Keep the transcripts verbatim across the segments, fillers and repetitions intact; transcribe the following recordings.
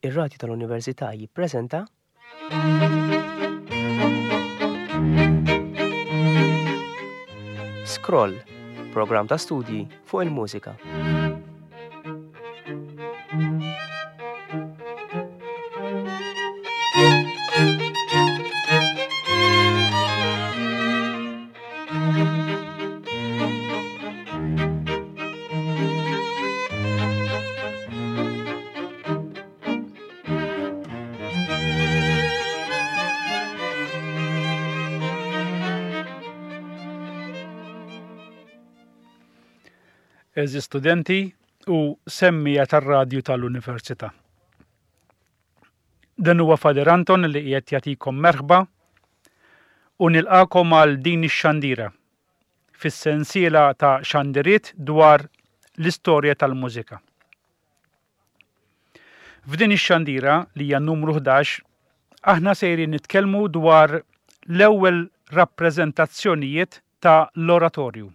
Ir-Radju tal-Università jippreżenta Scroll, programm ta' studji fuq il-mużika. Għeżież studenti u semmija tar-radju tal-Università. Dan huwa Father Anton li qiegħed jagħtikom merħba u nilqakom għal din ix-xandira fis-sensiela ta' xandiriet dwar l-istorja tal-mużika. F'din ix-xandira li hija numru ħdax, aħna sejrin nitkellmu dwar l-ewwel rappreżentazzjonijiet ta' l-oratorju.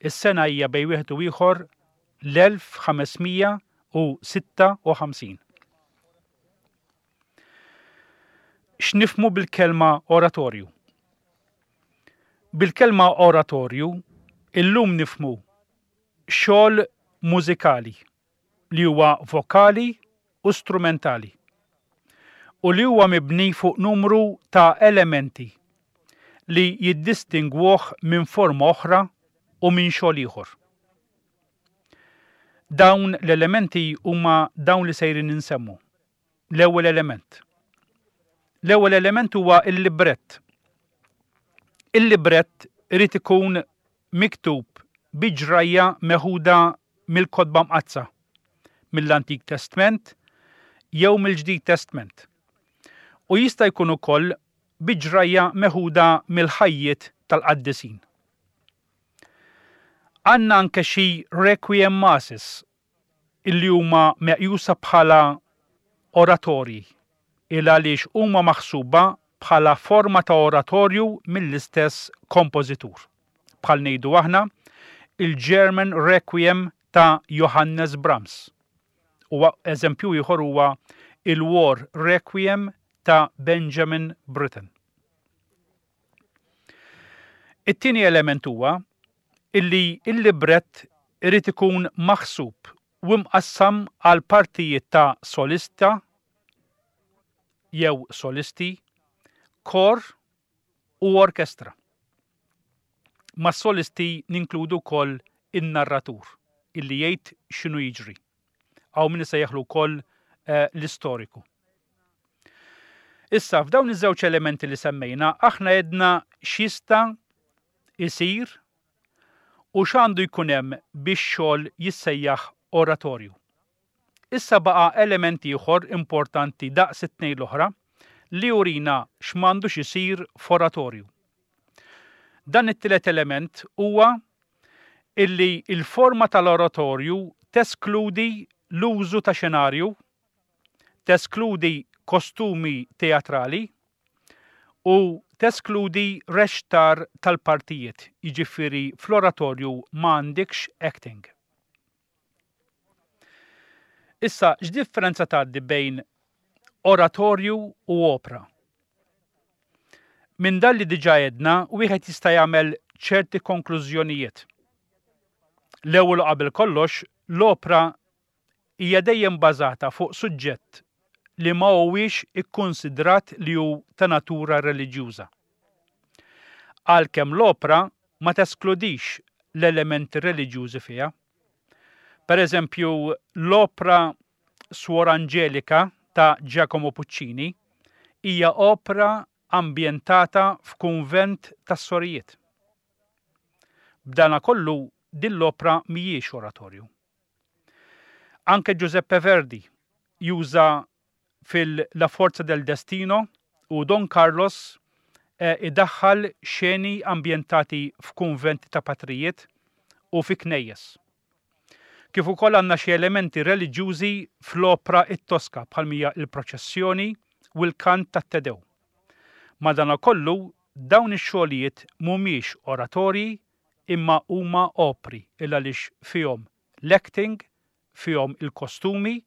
Is-sena hija bejn wieħed u ieħor l-elf ħames mija u sitta u ħamsin. X'nifhmu bil-kelma oratorju? Bil-kelma oratorju illum nifhmu xogħol mużikali li huwa vokali u strumentali u li huwa mibni fuq numru ta' elementi li jiddistingwuh minn forma oħra u minn xogħol ieħor. Dawn l-elementi huma dawn li sejrin insemmu. L-ewwel element. L-ewwel element huwa il-librett. Il-librett irid ikun miktub bi ġrajja meħuda mill-Kotba Mqaddsa, mill-Antik Testment jew mill-Ġdid Testment. U jista' jkun ukoll bi ġrajja meħuda mill-ħajjiet tal-qaddisin. Għandna anke xi requiem masses illi huma meqjusa bħala oratorji, il għaliex huma maħsuba bħala forma ta' oratorju mill-istess kompożitur. Bħal ngħidu aħna il-German Requiem ta' Johannes Brahms. U eżempju ieħor huwa il-War Requiem ta' Benjamin Britten. It-tieni element huwa illi il-librett irid ikun maħsub u mqassam għal partijiet ta' solista jew solisti, kor u orkestra. Ma' solisti ninkludu wkoll in-narratur illi jgħid x'inhu jiġri. Hawn min isejjaħlu wkoll, eh, l-istoriku. Issa, f'dawn iż-żewġ elementi li semmejna, aħna għedna x'jista' isir u x'għandu jkun hemm biex xogħol jissejjaħ oratorju. Issa baqa' element ieħor importanti daqs it-tnejn l-oħra li jurina x'm'għandux isir f'oratorju. Dan it-tielet element huwa illi il-forma tal-oratorju teskludi l-użu ta' xenarju, teskludi kostumi teatrali u teskludi rextar tal-partijiet, jiġifieri fl-oratorju m'għandekx acting. Issa, x'differenza tgħaddi bejn oratorju u opra? Minn dan li diġà għedna, wieħed jista' jagħmel ċerti konklużjonijiet. L-ewwel u qabel kollox, l-opra hija dejjem bażata fuq suġġett li ma huwiex ikkonsidrat li hu ta' natura reliġjuża. Għalkemm l-opra ma teskludix l-elementi reliġjużi fiha. Per eżempju, l-opra Suor Angelica ta' Giacomo Puccini hija opra ambjentata f'kunvent tas-sorijiet. B'dana kollu din l-opra mhijiex oratorju. Anke Giuseppe Verdi juża fil-La Forza del Destino u Don Carlos, eh, idaħħal xeni ambjentati f'kunventi ta' patrijiet u fi knejjes. Kif ukoll għandna xi elementi reliġjużi fl-opra it-Tosca bħal mija il-proċessjoni u l-kant tat-Te Deum. Madanakollu dawn ix-xogħlijiet mhumiex oratorji imma huma opri il għaliex fihom l-acting, fihom il-kostumi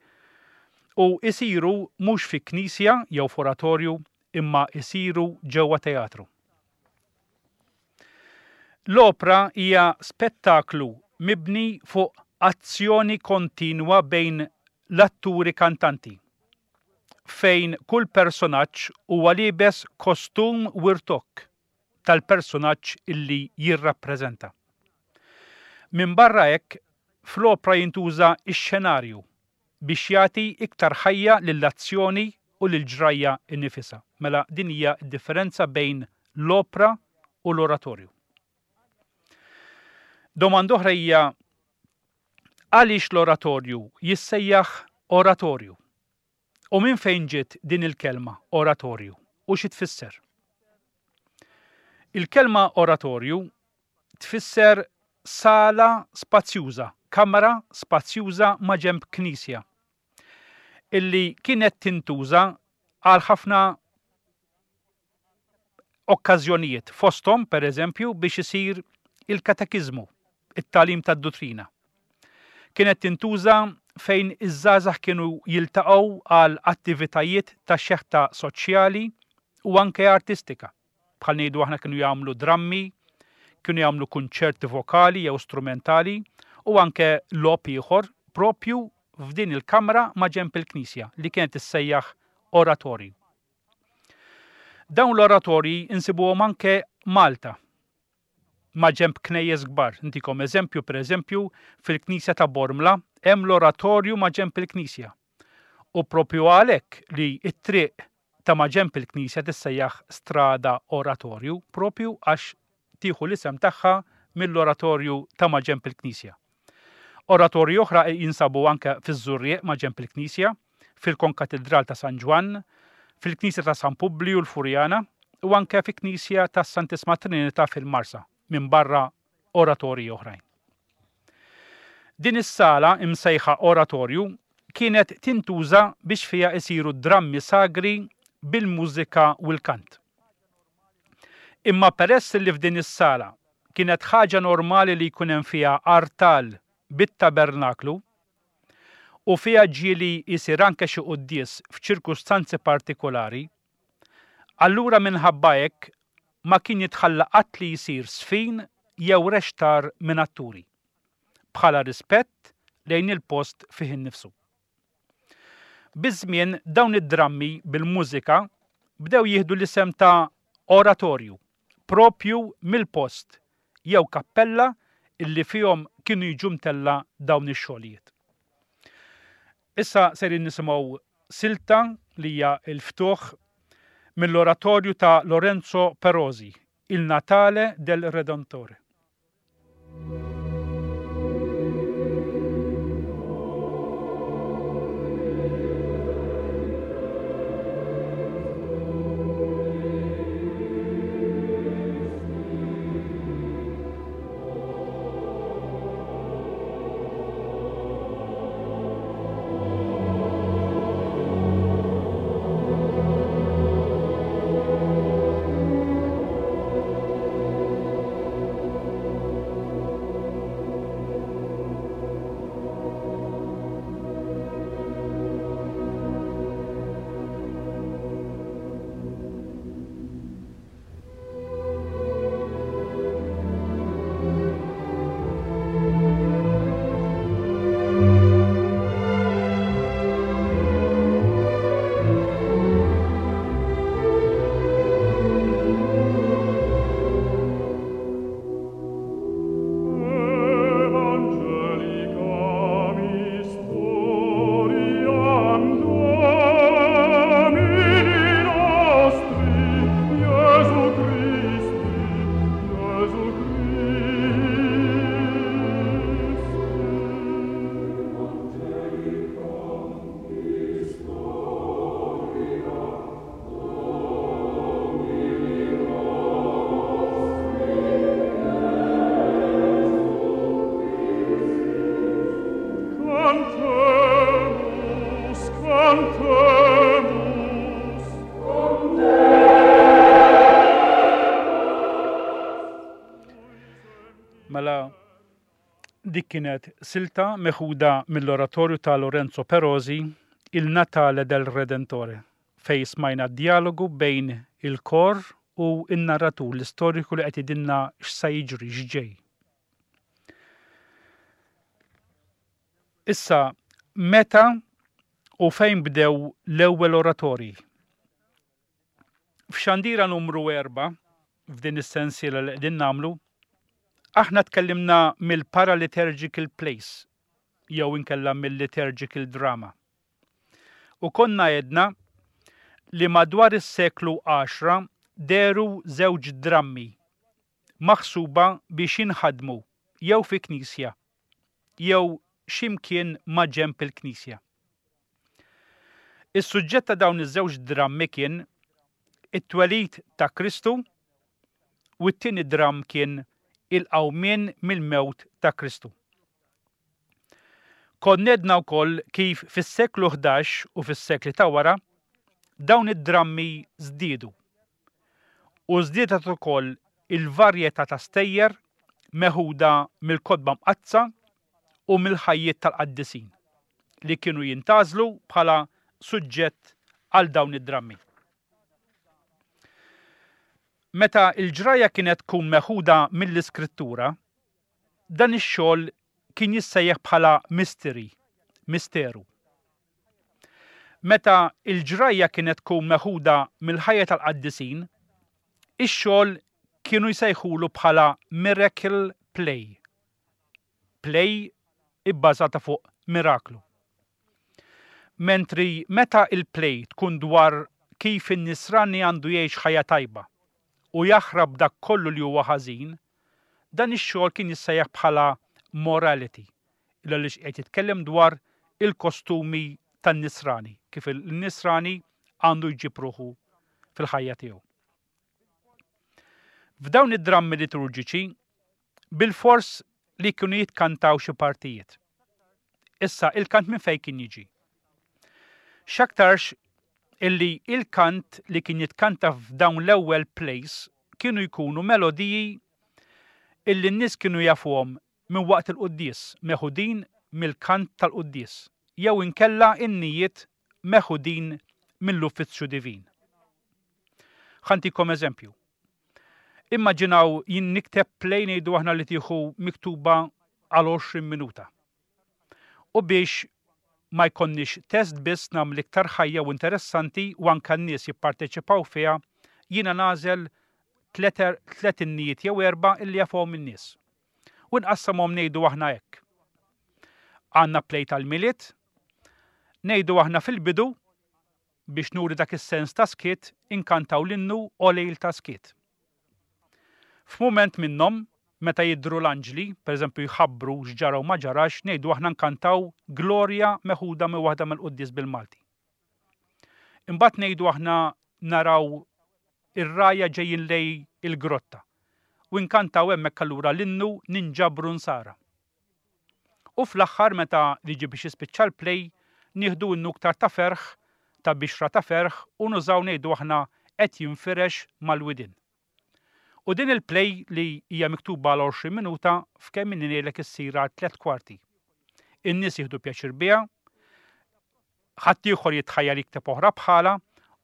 U isiru mhux fi knisja jew f'oratorju imma isiru ġewwa teatru. L-opra hija spettaklu mibni fuq azzjoni kontinwa bejn l-atturi kantanti, fejn kull personaġġ huwa liebes kostum u rtokk tal-personaġġ illi jirrappreżenta. Minbarra hekk, fl-opra jintuża x-xenarju biex jagħti iktar ħajja lill-azzjoni u lill-ġrajja innifisha. Mela din hija d-differenza bejn l-opra u l-oratorju. Domanda oħra hija għaliex l-oratorju jissejjaħ oratorju? U minn fejn ġiet din il-kelma oratorju u xi tfisser? Il-kelma oratorju tfisser sala spazjuża, kamra spazjuża ma' ġenb knisja, illi kienet tintuża għal ħafna okkażjonijiet, fosthom per eżempju biex isir il-katekiżmu, it-tagħlim tad-duttrina. Kienet tintuża fejn iż-żgħażagħ kienu jiltaqgħu għal attivitajiet ta' xeħta soċjali u anke artistika. Bħal ngħidu aħna kienu jagħmlu drammi, kienu jagħmlu kunċerti vokali jew strumentali u anke logħob ieħor propju f'din il-kamra ma' ġenb il-knisja li kienet issejjaħ oratorju. Dawn l-oratorji insibuhom anke Malta ma' ġenb knejjes kbar. Ntikom eżempju, per eżempju, fil-knisja ta' Bormla hemm l-oratorju ma' ġenb il-knisja. U propju għalhekk li t-triq ta' ma' ġenb il-knisja tissejjaħ strada oratorju, propju għax tieħu l-isem tagħha mill-oratorju ta' ma' ġenb il-knisja. Oratorji oħra jinsabu anke fiż-Żurrieq ma' ġenb il-knisja, fil-Konkatedral ta' San Ġwann, fil-Knisja ta' San Publiju l-Furjana u anke fil-Knisja ta' Santissima Trinità fil-Marsa, minn barra oratorji oħrajn. Din is-sala imsejħa oratorju kienet tintuża biex fiha isiru drammi sagri bil-mużika u l-kant. Imma peress li f'din is-sala kienet ħaġa normali li jkun hemm fiha artal bit-tabernaklu u fiha ġieli jsir anke xi quddies f'ċirkustanzi partikolari, allura minħabba hekk ma kien jitħalla qatt li jsir sfin jew rextar minn atturi, bħala rispett lejn il-post fih innifsu. Biż-żmien dawn id-drammi bil-mużika bdew jieħdu l-isem ta' oratorju, propju mill-post jew kappella illi fihom kienu jiġu mtella dawn ix-xogħlijiet. Issa serin nisimgħu silta li hija l-ftuħ mill-oratorju ta' Lorenzo Perosi, Il Natale del Redentore. Mela dik kienet silta meħuda mill-oratorju ta' Lorenzo Perosi, Il Natale del Redentore, fejn smajna dialogu bejn il-kor u n-narratur, l-istoriku li qed jgħidilna x'sa jiġri, x'ġej. Issa, meta u fejn bdew l-ewwel oratorji? F'xandira numru erba', f'din is-sensiela li qegħdin nagħmlu, aħna tkellimna mill-paraliturgical plays, jew inkella mill-liturgical drama. U konna għedna li madwar is-seklu għaxra dehru żewġ drammi maħsuba biex jinħadmu jew fi knisja jew x'imkien ma' ġenb il-knisja. Is-suġġett ta' dawn iż-żewġ drammi kien it-twelid ta' Kristu u t-tieni dramm kien il-qawmien mill-mewt ta' Kristu. Konna għedna wkoll kif fis-seklu ħdax u fis-sekli ta' wara dawn id-drammi żdiedu. U żdiedet ukoll il-varjetà ta' stejjer meħuda mill-kotba mqaddsa u mill-ħajjiet tal-qaddisin li kienu jintgħażlu bħala suġġett għal dawn id-drammi. Meta l-ġrajja kienet tkun meħuda mill-Iskrittura, dan ix-xogħol kien jissejjaħ bħala mystery, misteru. Meta l-ġrajja kienet tkun meħuda mill-ħajja tal-qaddisin, ix-xogħol kienu jsejħulu bħala miracle play. Play ibbażata fuq miraklu. Mentri meta il-play tkun dwar kif in-nisrani għandu jgħix ħajja tajba u jaħrab dak kollu li huwa ħażin, dan ix-xogħol kien jissejjaħ bħala morality, għaliex qed jitkellem dwar il-kostumi tan-nisrani, kif il-nisrani għandu jġib ruħu fil-ħajja tiegħu. F'dawn id-drammi liturġiċi, bil-fors li kienu jitkantaw xi partijiet. Issa, il-kant minn fejn kien jiġi? X'aktarx illi il-kant li kien jitkanta f'dawn l-ewwel plays kienu jkunu melodiji illi n-nies kienu jafuhom minn waqt il-quddies, meħudin mill-kant tal-quddies, jew inkella innijiet meħudin mill-uffiċċju divin. Ħa ntikom eżempju. Immaġinaw jien nikteb play ngħidu aħna li tieħu miktuba għal għoxrin minuta. U biex ma jkollniex test biss nagħmel iktar ħajja u interessanti u anke n-nies jipparteċipaw fiha, jiena nagħżel tliet innijiet jew erba' illi jafuhom in-nies. U nqassamhom ngħidu aħna hekk. Għandna play tal-Milied, ngħidu aħna fil-bidu biex nuri dak is-sens ta' skiet inkantaw l-innu o lejl ta' skiet. F'mument minnhom, meta jidhru l-anġli, pereżempju jħabbru x'ġara u ma ġarax, ngħidu aħna nkantaw Gloria meħuda minn waħda mill-quddies bil-Malti. Imbagħad ngħidu aħna naraw ir-rgħajja ġejjin lej il-grotta u nkantaw hemmhekk allura l-innu ninġabru nsara. U fl-aħħar meta jiġi biex jispiċċa l-play, nieħdu innu iktar ta' ferħ, ta' bixra ta' ferħ u nużaw ngħidu aħna qed jinfirex mal-widien. U din il-play li hija miktuba għal għoxrin minuta f'kemm inni ngħidlek issir għal tliet kwarti. In-nies jieħdu pjaċir biha, ħaddieħor jitħajjar jikteb oħra bħala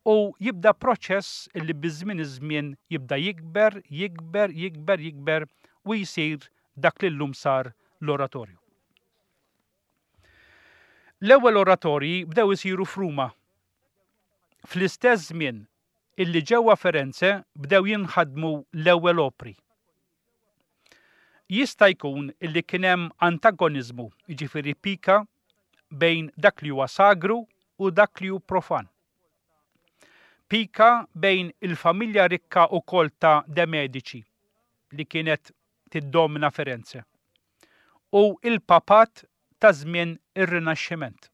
u jibda proċess illi biż-żmien iż-żmien jibda jikber, jikber, jikber, jikber u jsir dak li llum sar l-oratorju. L-ewwel oratorji bdew isiru f'Ruma. Fl-istess żmien illi ġewwa Firenze bdew jinħadmu l-ewwel opri. Jista' jkun illi kien hemm antagoniżmu, jiġifieri pika, bejn dak li huwa sagru u dak li hu profan. Pika bejn il-familja rikka u kolta de Medici li kienet tiddomina Firenze u il-papat ta' żmien ir-Rinaxximent.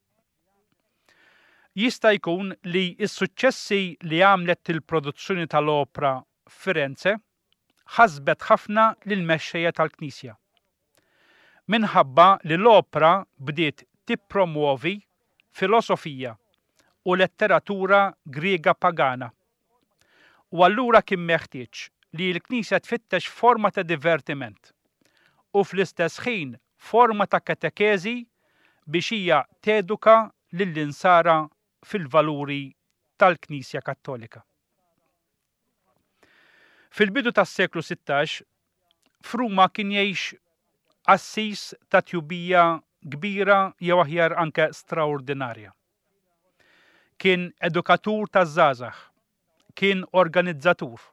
Jista' jkun li s-suċċessi li għamlet il-produzzjoni tal-opra f'Firenze ħasbet ħafna lill-mexxejja tal-Knisja. Minħabba li l-opra bdiet tippromuovi filosofija u letteratura Griega pagana. U allura kien meħtieġ li l-Knisja tfittex forma ta' divertiment u fl-istess ħin forma ta' katekeżi biex hija teduka lill-insara fil-valuri tal-Knisja Kattolika. Fil-bidu tas-seklu sittax, f'Ruma kien jgħix qassis ta' tjubija kbira jew aħjar anke straordinarja. Kien edukatur taż-żgħażagħ, kien organizzatur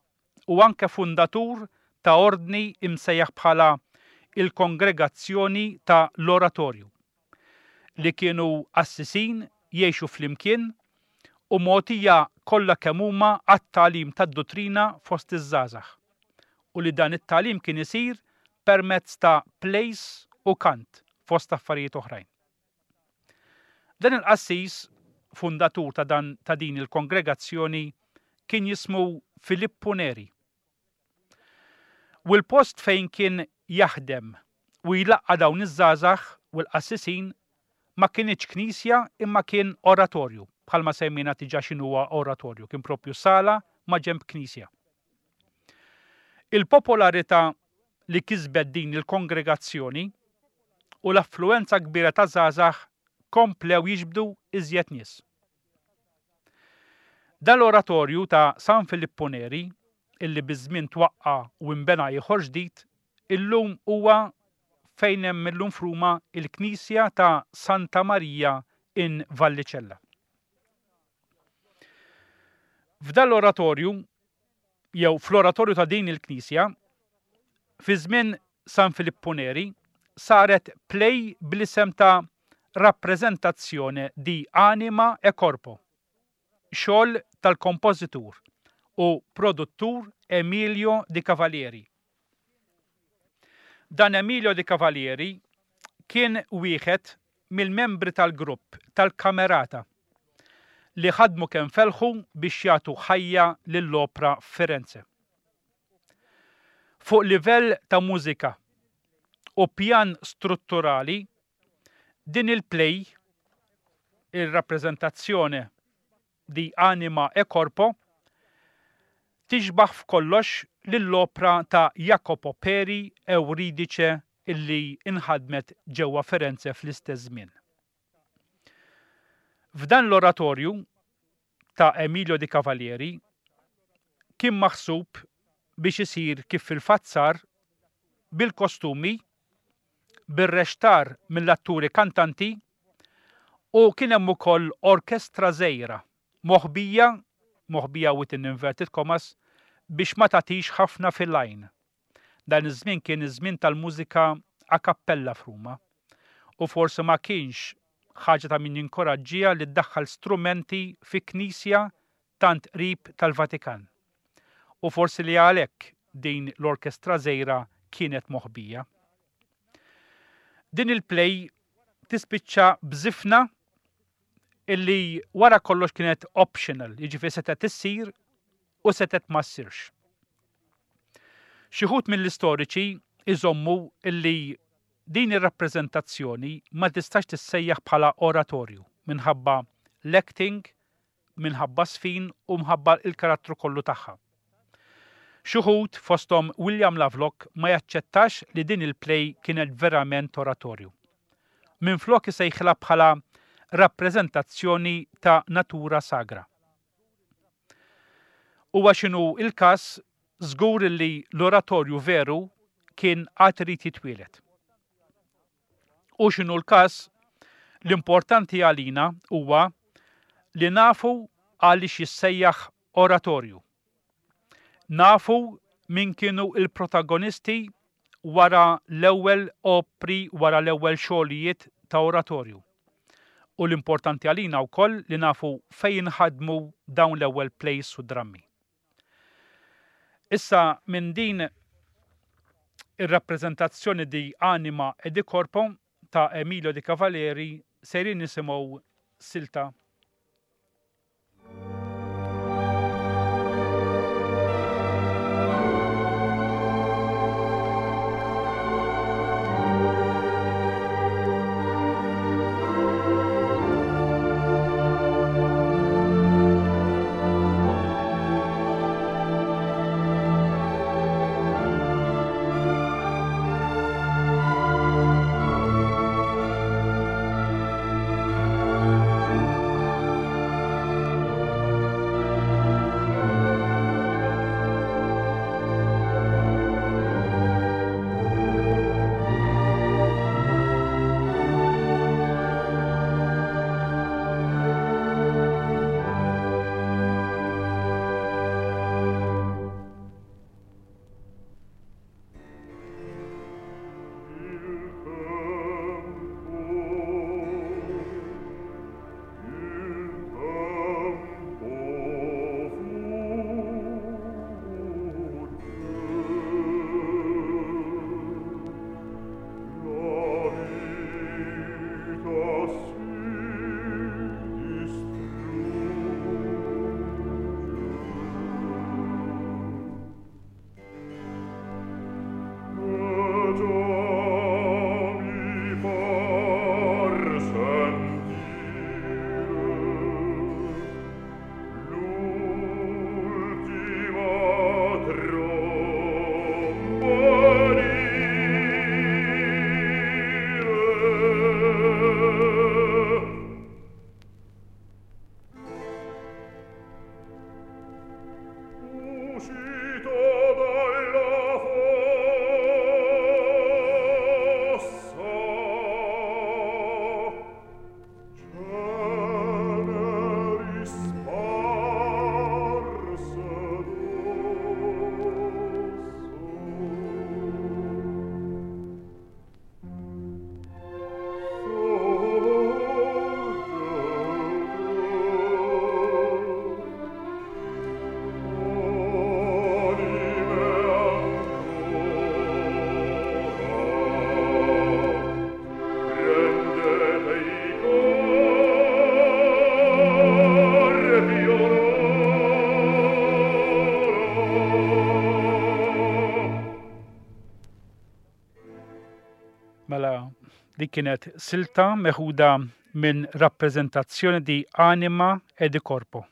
u anke fundatur ta' ordni imsejjaħ bħala il-Kongregazzjoni ta' l-Oratorju, li kienu qassisin jgħixu flimkien u mogħtija kollha kemm huma għat-tagħlim tad-duttrina fost iż-żgħażagħ, u li dan it-tagħlim kien isir permezz ta' plays u kant fost affarijiet oħrajn. Dan il-qassis, fundatur ta' dan ta' din il-kongregazzjoni, kien jismu Filippo Neri. U l-post fejn kien jaħdem u jlaqqa' dawn iż-żgħażagħ u l-qassisin ma kienx knisja imma kien oratorju, bħalma semmejna diġà x'inhuwa oratorju, kien propju sala ma' ġenb knisja. Il-popolarità li kisbet din il-kongregazzjoni u l-affluenza kbira ta' żgħażagħ komplew jiġbdu iżjed nies. Dal-oratorju ta' San Filippo Neri, illi biż-żmien twaqqa' u nbena ieħor ġdid, illum huwa fejn hemm illum f'Ruma il-Knisja ta' Santa Maria in Vallicella. F'dal-oratorju, jew fl-oratorju ta' din il-Knisja, fi żmien San Filippo Neri, saret play bl-isem ta' Rappresentazione di Anima e Corpo, xogħol tal-kompożitur u produttur Emilio Di Cavalieri. Dan Emilio Di Cavalieri kien wieħed mill-membri tal-grupp tal-Camerata li ħadmu kemm felħu biex jagħtu ħajja lill-opra f'Firenze. Fuq livell ta' mużika u pjan strutturali, din il-play, il-rappreżentazzjoni di Anima e Corpo, tixbaħ f'kollox lill-opra ta' Jacopo Peri Euridice illi inħadmet ġewwa Firenze fl-istess żmien. F'dan l-oratorju ta' Emilio Di Cavalieri kien maħsub biex isir kif fil-fatt sar bil-kostumi, bir-rextar mill-atturi kantanti u kien hemm ukoll orkestra żgħira moħbija, moħbija within inverted commas, biex ma tagħtix ħafna fil-lajn. Dan iż-żmien kien iż-żmien tal-mużika a cappella f'Ruma u forsi ma kienx ħaġa ta' min jinkoraġġija li ddaħħal strumenti fi knisja tant qrib tal-Vatikan. U forsi li għalhekk din l-orkestra żgħira kienet moħbija. Din il-play tispiċċa b'żifna illi wara kollox kienet optional, jiġifieri setgħet issir u setgħet ma ssirx. Xi wħud mill-istoriċi iżommu illi din ir-rappreżentazzjoni ma tistax tissejjaħ bħala oratorju minħabba l-acting, minħabba sfin u minħabba il-karattru kollu tagħha. Xi wħud fosthom William Lovelock ma jaċċettax li din il-play kienet verament oratorju. Minflok isejħilha bħala rappreżentazzjoni ta' natura sagra. Huwa x'inhu il-każ, żgur li l-oratorju veru kien għad irid jitwieled. U x'inhu l-każ, l-importanti għalina huwa li nafu għaliex jissejjaħ oratorju. Nafu min kienu il-protagonisti wara l-ewwel opri, wara l-ewwel xogħlijiet ta' oratorju. U l-importanti għalina wkoll li nafu fejn ħadmu dawn l-ewwel plays u drammi. Issa minn din ir-rappreżentazzjoni di Anima e di Corpo ta' Emilio Di Cavalieri sejrin nisimgħu silta. Thank Li kienet silta meħuda minn rappreżentazzjoni di Anima e di Corpo.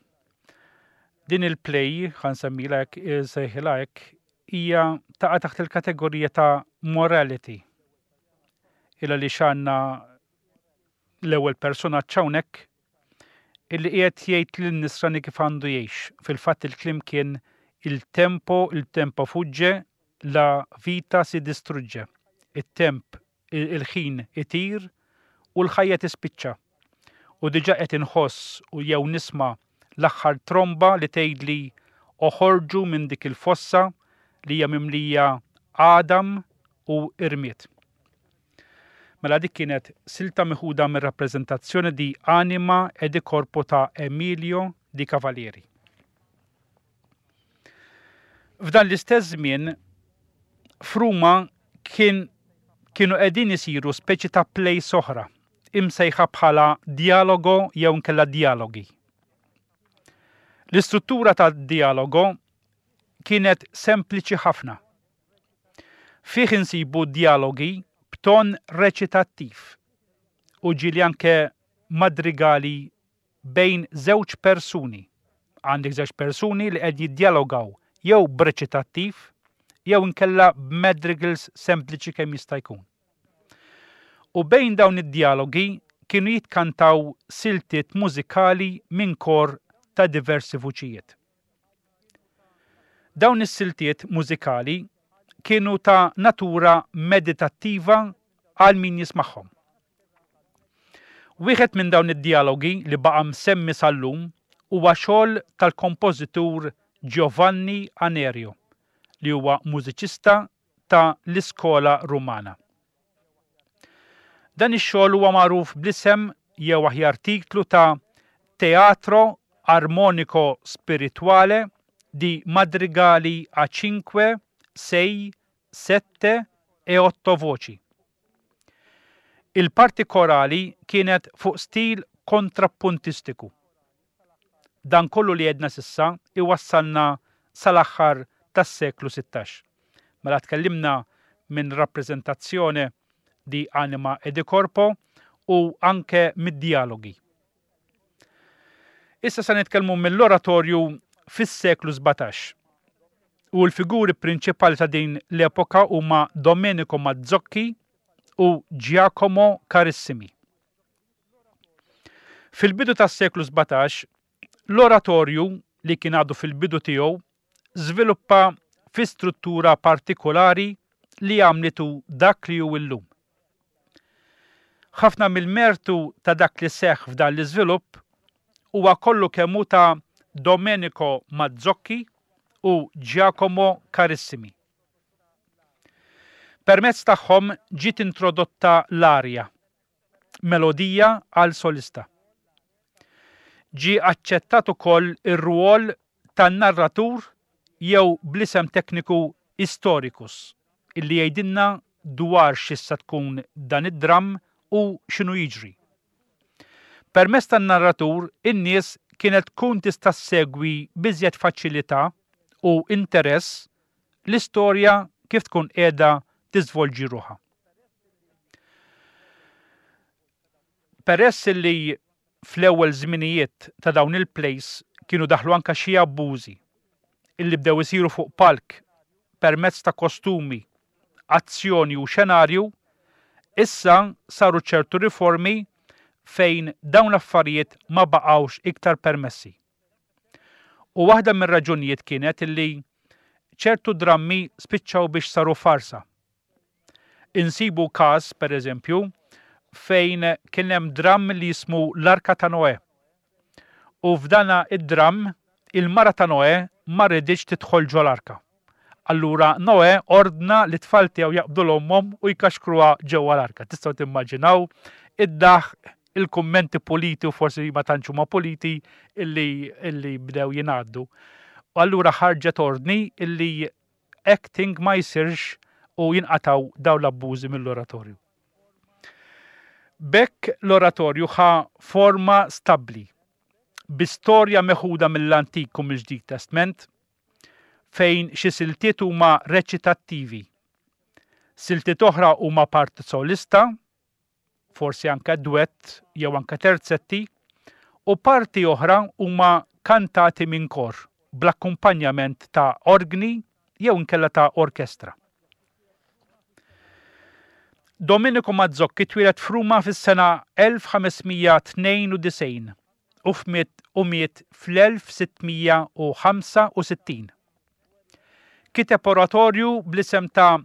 Din il-play, ħa nsemmilha hekk, sejħilha hekk, hija taqa' taħt il-kategorija ta' morality. Illa li xanna l-ewwel personaġġ hawnhekk illi qiegħed jgħid lin-nisrani kif għandu jgħix. Fil-fatt il-kliem kien il tempo, il tempo fugge, la vita si distrugge. It-temp, il-ħin itir u l-ħajja tispiċċa. U diġà qed inħoss u jew nisma' l-aħħar tromba li tgħidli oħorġu minn dik il-fossa li hija mimlija għadam u irmied. Mela dik kienet silta meħuda mir rappreżentazzjoni di Anima e di Corpo ta' Emilio di Cavalieri. F'dan l-istess żmien f'Ruma kien kienu qegħdin isiru speċi ta' plays oħra imsejħa bħala dialogo jew inkella dialogi. L-istruttura ta' dialogo kienet sempliċi ħafna. Fih insibu dialogi b'ton reċitattiv u ġieli anke madrigali bejn żewġ persuni. Għandek żewġ persuni li qed jiddialogaw jew b'reċitattiv jew inkella b'madrigals sempliċi kemm jista' jkun. U bejn dawn id-dialogi kienu jitkantaw siltiet mużikali minn kor ta' diversi vuċijiet. Dawn is-siltiet mużikali kienu ta' natura meditattiva għal min jismagħhom. Wieħed minn dawn id-dialogi li baqa' msemmi sal-lum huwa xogħol tal-kompożitur Giovanni Anerio, li huwa mużiċista ta' l-iskola Rumana. Dan ix-xogħol huwa magħruf bl-isem jew aħjar titlu ta' Teatro Armonico Spirituale di Madrigali a cinque, sei, sette e otto voci. Il-parti korali kienet fuq stil kontrappuntistiku. Dan kollu li għedna s'issa iwassalna sal-aħħar tas-seklu sittax. Mela tkellimna minn rappreżentazzjoni di Anima e di Corpo u anke mid-dialogi. Issa se nitkellmu mill-oratorju fis-seklu sbatax. U l-figuri prinċipali ta' din l-epoka huma Domenico Mazzocchi u Giacomo Carissimi. Fil-bidu tas-seklu sbatax, l-oratorju li kien għadu fil-bidu tiegħu żviluppa fi struttura partikolari li għamlitu dak li hu illum. Ħafna mill-mertu ta' dak li seħħ f'dan l-iżvilupp huwa kollu kemm hu ta' Domenico Mazzocchi u Giacomo Carissimi. Permezz tagħhom ġiet introdotta l-arja, melodija għal solista. Ġie aċċettat ukoll ir-rwol tan-narratur jew bl-isem tekniku historicus, illi jgħidilna dwar x'issa tkun dan id-dramm u x'inhu jiġri. Permezz tan-narratur, in-nies kienet tkun tista' ssegwi biżjed faċilità u interess l-istorja kif tkun qiegħda tiżvolġi ruħha. Peress li fl-ewwel żminijiet ta' dawn il-plays kienu daħlu anka xi abbużi illi bdew isiru fuq palk permezz ta' kostumi, azzjoni u xenarju, issa saru ċertu riformi fejn dawn l-affarijiet ma baqgħux iktar permessi. U waħda mir-raġunijiet kienet illi ċertu drammi spiċċaw biex saru farsa. Insibu każ, per eżempju, fejn kien hemm dramm li jismu l-Arka ta' Noè. U f'dana id-dramm, il-mara ta' Noè ma riditx tidħol ġol-arka. Allura Noè ordna li tfal tiegħu jaqbdu l-ommhom u jkaxkruha ġewwa l-arka. Tistgħu timmaġinaw id-daħ, il-kummenti puliti u forsi ma tantx huma puliti illi, illi bdew jingħaddu. U allura ħarġet ordni illi acting ma jsirx u jinqataw dawn l-abbużi mill-oratorju. B'hekk l-oratorju ħa forma stabbli, bi storja meħuda mill-Antik u mill-Ġdid Testament, fejn xi siltiet huma reċitattivi. Siltiet oħra huma parti solista forsi anke dwett jew anke terzetti, u parti oħra huma kantati minn kor bl-akkumpanjament ta' orgni jew inkella ta' orkestra. Domenico Mazzocchi twieled f'Ruma fis-sena elf ħames mija tnejn u disgħin u f'miet u miet fl-elf sitt mija u ħamsa u sittin. Kiteb oratorju bl-isem ta'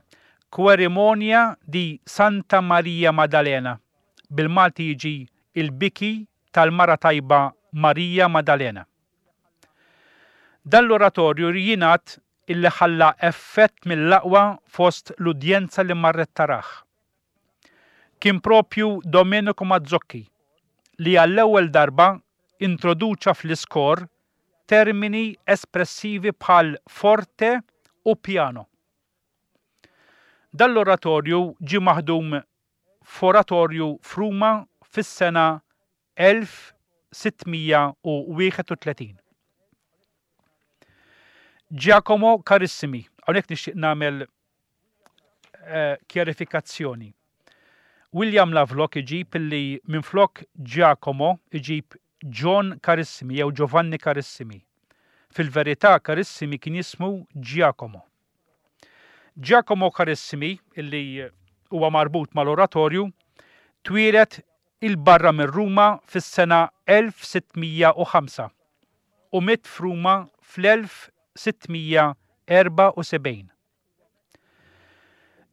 Querimonia di Santa Maria Maddalena, bil-Malti jiġi il-biki tal-mara tajba Marija Maddalena. Dan l-oratorju jingħad illi ħalla effett mill-aqwa fost l-udjenza li marret taraħ. Kien propju Domenico Mazzocchi li għall-ewwel darba introduċa fl-iskor termini espressivi bħal forte u piano. Dan l-oratorju ġie maħdum f'oratorju f'Ruma fis-sena elf sitt mija u wieħed u tletin. Giacomo Carissimi, hawnhekk nixtieq nagħmel, eh, kjarifikazzjoni. William Lovelock iġib illi minflok Giacomo iġib John Carissimi jew Giovanni Carissimi. Fil-verità Carissimi kien jismu Giacomo. Giacomo Carissimi, illi huwa marbut mal-oratorju, twieled il-barra minn Ruma fis-sena elf sitt mija u ħamsa u miet f'Ruma fl-elf sitt mija erba' u sebgħin.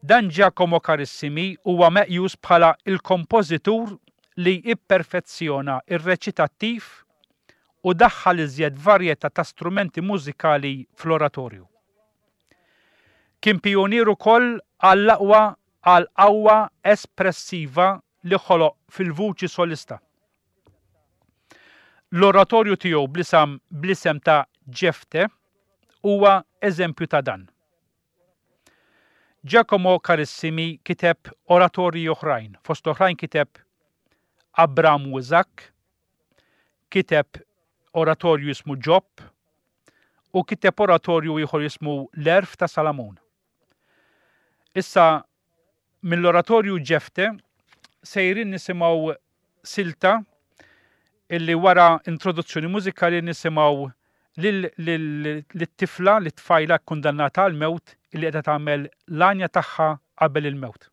Dan Giacomo Carissimi huwa meqjus bħala il-kompożitur li ipperfezzjona ir-reċitattiv u daħħal iżjed varjetà ta' strumenti mużikali fl-oratorju. Kien pionier ukoll għall-aqwa għal qawwa espressiva li ħoloq fil-vuċi solista. L-oratorju tiegħu bl-isem, bl-isem ta' Ġefte huwa eżempju ta' dan. Giacomo Carissimi kiteb oratorji oħrajn, fost oħrajn kiteb Abram u Iżakk, kiteb oratorju jismu Ġob u kiteb oratorju ieħor jismu L-Għerf ta' Salamun. Issa mill-oratorju Ġefte sejrin nisimgħu silta illi wara introduzzjoni mużikali nisimgħu lil-tifla, lit-tfajla kkundannata għall-mewt illi qiegħda tagħmel l-għanja tagħha qabel il-mewt.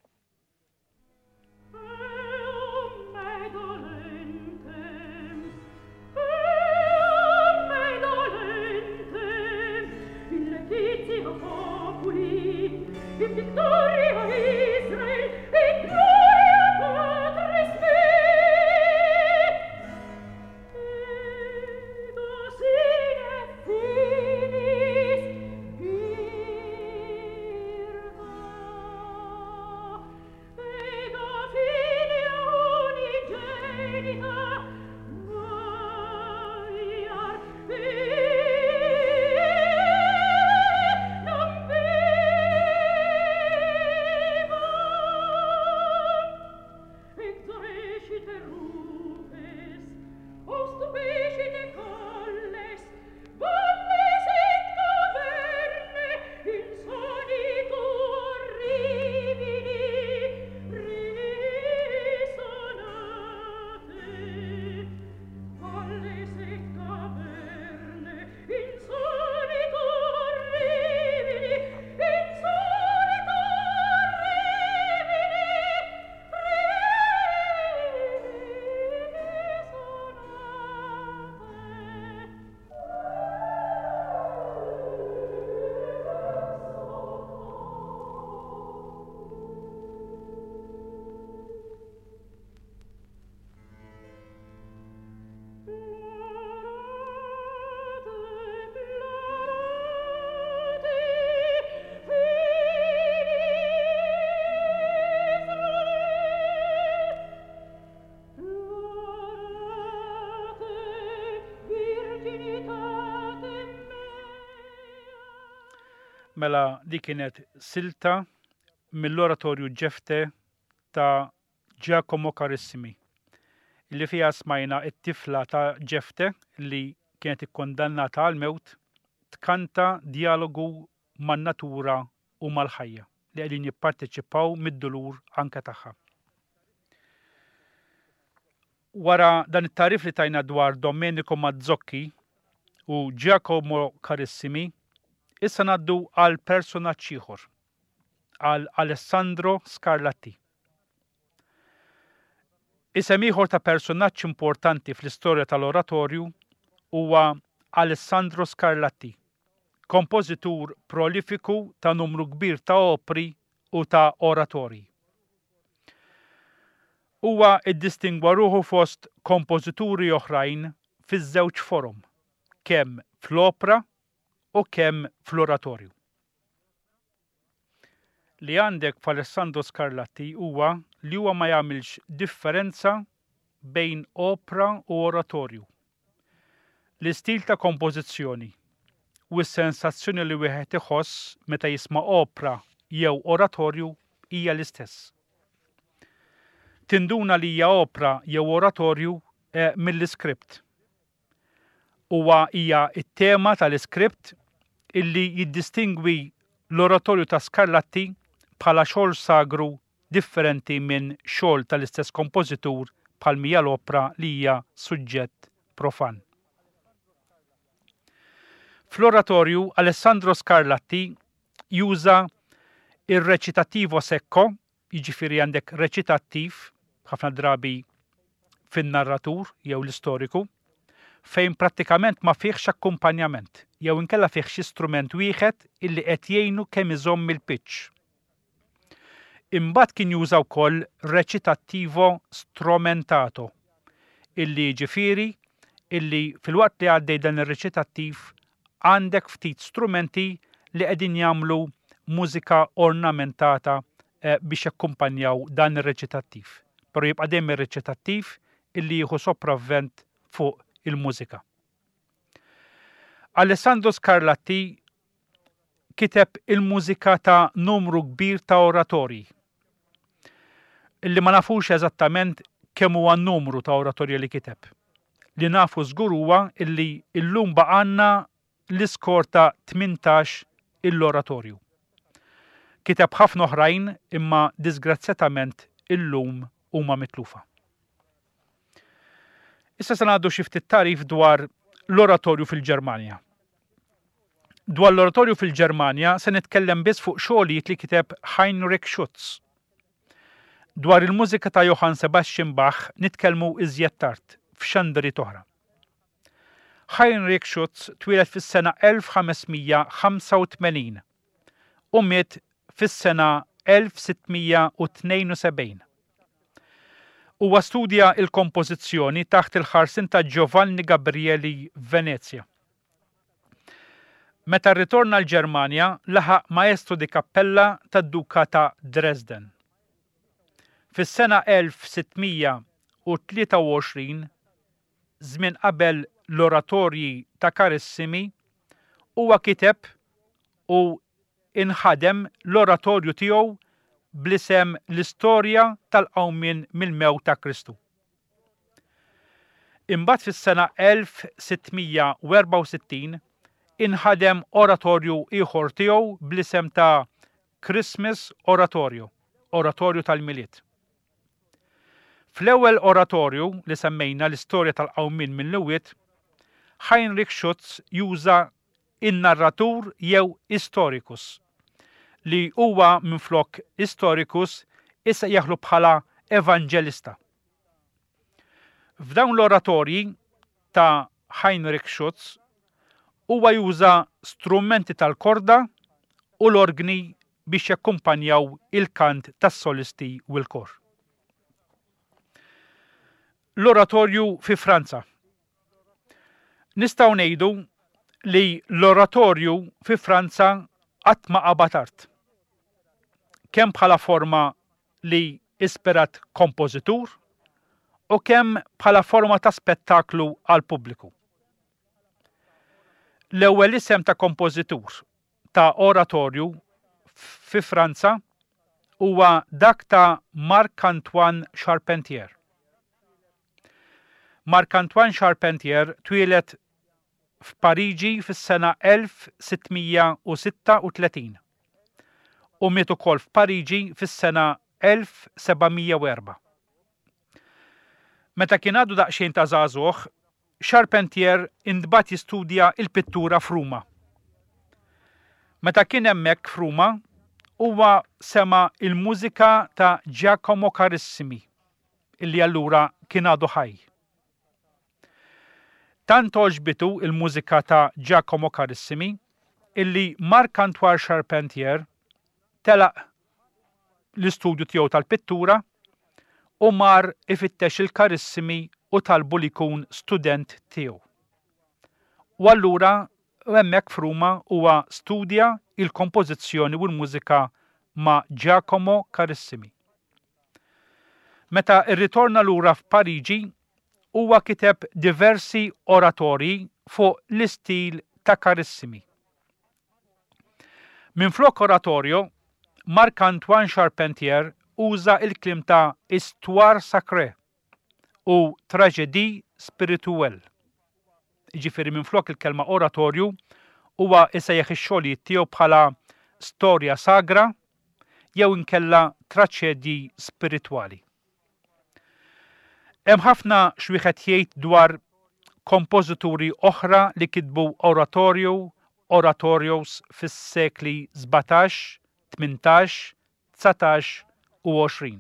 Mela di kienet silta mill-oratorju Ġefte ta' Giacomo Carissimi, li fiha smajna it-tifla ta' Ġefte li kienet ikkondannata għal-mewt tkanta dialogu man-natura u mal-ħajja li qegħdin jipparteċipaw mid-dulur anke tagħha. Wara dan it-tagħrif li tajna dwar Domenico Mazzocchi u Giacomo Carissimi, issa ngħaddu għal personaġġ ieħor, għal Alessandro Scarlatti. Isem ieħor ta' personaġġ importanti fl-istorja tal-oratorju huwa Alessandro Scarlatti, kompożitur prolifiku ta' numru kbir ta' opri u ta' oratorji. Huwa iddistingwa ruħu fost kompożituri oħrajn fiż-żewġ forom, kemm fl-opra u kemm fl-oratorju. Li għandek f'Alessandro Scarlatti huwa li huwa ma jagħmilx differenza bejn opra u oratorju. L-istil ta' kompożizzjoni u s-sensazzjoni li wieħed iħoss meta jisma' opra jew oratorju hija l-istess. Tinduna li hija opra jew oratorju eh, mill-iskript. Huwa hija t-tema tal-iskript illi jiddistingwi l-oratorju ta' Scarlatti bħala xogħol sagru differenti minn xogħol tal-istess kompożitur bħal mija l-opra li hija suġġett profan. Fl-oratorju Alessandro Scarlatti juża ir-recitativo secco, jiġifieri għandek reċitattiv ħafna drabi fin-narratur jew l-istoriku, fejn prattikament ma fihx akkumpanjament jew inkella fih xi strument wieħed illi qed jgħinu kemm iżomm il-pitch. Imbagħad kien juża wkoll recitativo strumentato, illi jiġifieri illi filwaqt li għaddej dan ir-reċitattiv għandek ftit strumenti li qegħdin jagħmlu mużika ornamentata eh, biex jakkumpanjaw dan ir-reċitattiv. Però jibqa' dejjem ir-reċitattiv illi jieħu sopravvent fuq il-mużika. Alessandro Scarlatti kiteb il-mużika ta' numru kbir ta' oratorji. Illi ma nafux eżattament kemm huwa n-numru ta' oratorji li kiteb. Li nafu żgur huwa illi illum baqgħalna l-iskor ta' tmintax il-oratorju. Kiteb ħafna oħrajn imma disgrazzjatament illum huma mitlufa. Issa se ngħaddu xi ftit tagħrif dwar l-oratorju fil-Ġermanja. Dwar l-oratorju fil-Ġermanja se nitkellem biss fuq xogħlijiet li kiteb Heinrich Schütz. Dwar il-mużika ta' Johann Sebastian Bach nitkellmu iżjed tard f'xandri oħra. Heinrich Schütz twieled fis-sena elf ħamesmija ħamsa u tmenin u miet fis-sena elf sittmija u tnejn u sebgħin. Huwa studja il-kompożizzjoni taħt il-ħarsin ta' Giovanni Gabrieli Venezia. Meta rritorna l-Ġermanja, laħaq maestro di cappella tad-Duka ta' Dresden. Fis-sena elf sittmija u tlieta u għoxrin, żmien qabel l-oratorji ta' Carissimi, huwa kiteb u inħadem l-oratorju tiegħu bl-isem l-istorja tal-qawmien mill-mewt ta' Kristu. Imbagħad fis-sena elf sittmija u erbgħa u sittin inħadem oratorju ieħor tiegħu bl-isem ta' Christmas Oratorio, Oratorju tal-Milied. Fl-ewwel oratorju li semmejna l-istorja tal-qawmien mill-imwiet, Heinrich Schütz juża in-narratur jew historicus, li huwa minflok historicus issa jaħlu bħala evangelista. F'dawn l-oratorji ta' Heinrich Schütz huwa juża strumenti tal-korda u l-orgni biex jakkumpanjaw il-kant tas-solisti u l-kor. L-oratorju fi Franza. Nistgħu ngħidu li l-oratorju fi Franza qatt ma qabad art. Kemm bħala forma li ispirat kompożitur u kemm bħala forma ta' spettaklu għal pubbliku. L-ewwel isem ta' kompożitur ta' oratorju fi Franza huwa dak ta' Marc-Antoine Charpentier. Marc-Antoine Charpentier twieled f'Pariġi fis-sena elf sittmija u sitta u tletin u miet ukoll f'Pariġi fis-sena elf sebgħamija u erbgħa. Meta kien għadu daqsxejn ta' żagħżugħ, Charpentier intbagħat jistudja il-pittura f'Ruma. Meta kien hemmhekk f'Ruma, huwa sema' il-mużika ta' Giacomo Carissimi, illi allura kien għadu ħaj. Tant għoġbitu il-mużika ta' Giacomo Carissimi illi Marc-Antoine Charpentier telaq l-istudju tiegħu tal-pittura u mar ifittex il-Carissimi u talbu li jkun student tiegħu. U allura hemmhekk f'Ruma huwa studja il-kompożizzjoni u l-mużika ma' Giacomo Carissimi. Meta rritorna lura f'Pariġi, huwa kiteb diversi oratorji fuq l-istil ta' Carissimi. Minflok oratorio, Marc-Antoine Charpentier uża il-kliem ta' Histoire Sacrée u Tragédie Spirituelle. Jiġifieri minflok il-kelma oratorju huwa isejjaħ ix-xogħlijiet tiegħu bħala storja sagra jew inkella traċedji spiritwali. Hemm ħafna x'wieħed jgħid dwar kompożituri oħra li kitbu oratorju, oratorios fis-sekli sbatax, tmintax, dsatax u għoxrin.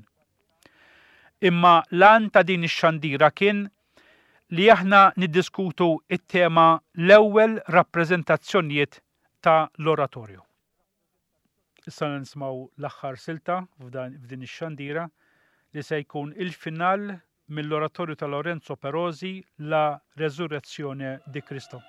Imma l-għan ta' din ix-xandira kien li aħna niddiskutu it-tema l-ewwel rappreżentazzjonijiet ta' l-oratorju. Issa nismaw l-aħħar silta f'din ix-xandira li se jkun il-final mill-oratorju ta' Lorenzo Perosi, La Resurrezione di Cristo.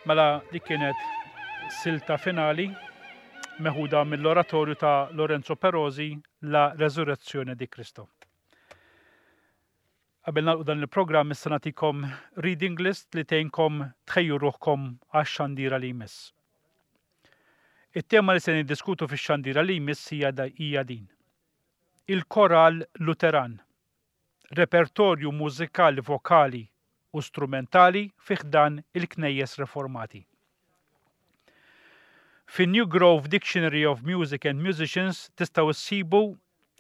Mela dik kienet silta finali meħuda mill-oratorju ta' Lorenzo Perosi, La Resurrezione di Cristo. Qabel nagħlqu dan il-programm issa nagħtikom reading list li tgħinkom tħejju ruħkom għax-xandira li jmiss. It-tema li se niddiskutu fix-xandira li jmiss hija hija din. Il-koral Luteran, repertorju mużikali vokali u strumentali fi ħdan il-knejjes reformati. Fin New Grove Dictionary of Music and Musicians tistgħu issibu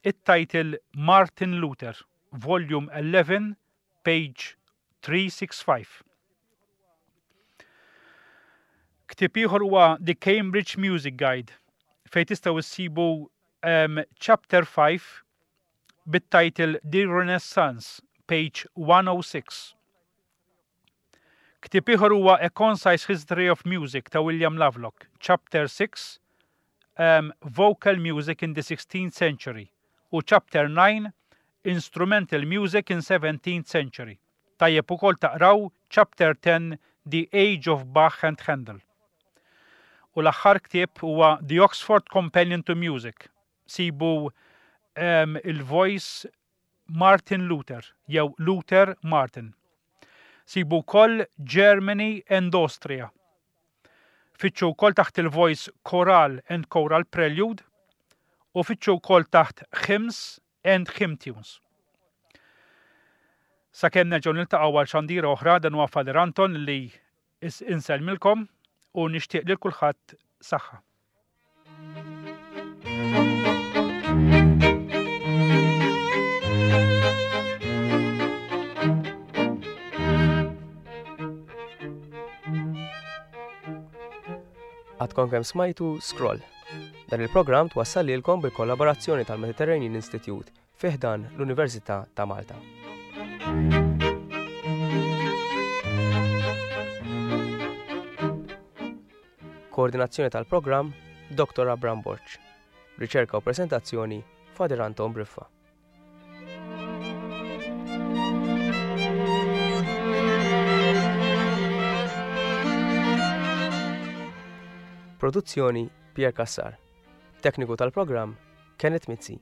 it-title Martin Luther, Volume eleven, page three six five. Ktieb ieħor huwa The Cambridge Music Guide, fejn tistgħu issibu, um, Chapter five bit-title The Renaissance, page one oh six. Ktieb ieħor huwa A Concise History of Music ta' William Lovelock, Chapter six, um, Vocal Music in the sixteenth Century, u Chapter nine, Instrumental Music in seventeenth Century. Tajjeb ukoll taqraw Chapter ten, The Age of Bach and Handel. U l-aħħar ktieb huwa The Oxford Companion to Music. Sibu, um, il-voice Martin Luther, jew Luther Martin. Sibu wkoll Germany and Austria. Fittxu wkoll taħt il-voice Choral and Choral Prelude u fittxu wkoll taħt Hymns and Hymn Tunes. Sakemm nerġgħu niltaqgħu għal xandira oħra, dan huwa Father Anton li is-, insellmilkom u nixtieq lil kulħadd saħħa. Għadkom kemm smajtu Scroll. Dan il-programm twassal lilkom bil-kollaborazzjoni tal-Mediterranean Institute fi ħdan l-Università ta' Malta. Koordinazzjoni tal-programm Doktor Abram Borg. Riċerka u presentazzjoni Father Anton Briffa. Produzzjoni Pierre Cassar. Tekniku tal-programm Kenneth Mizzi.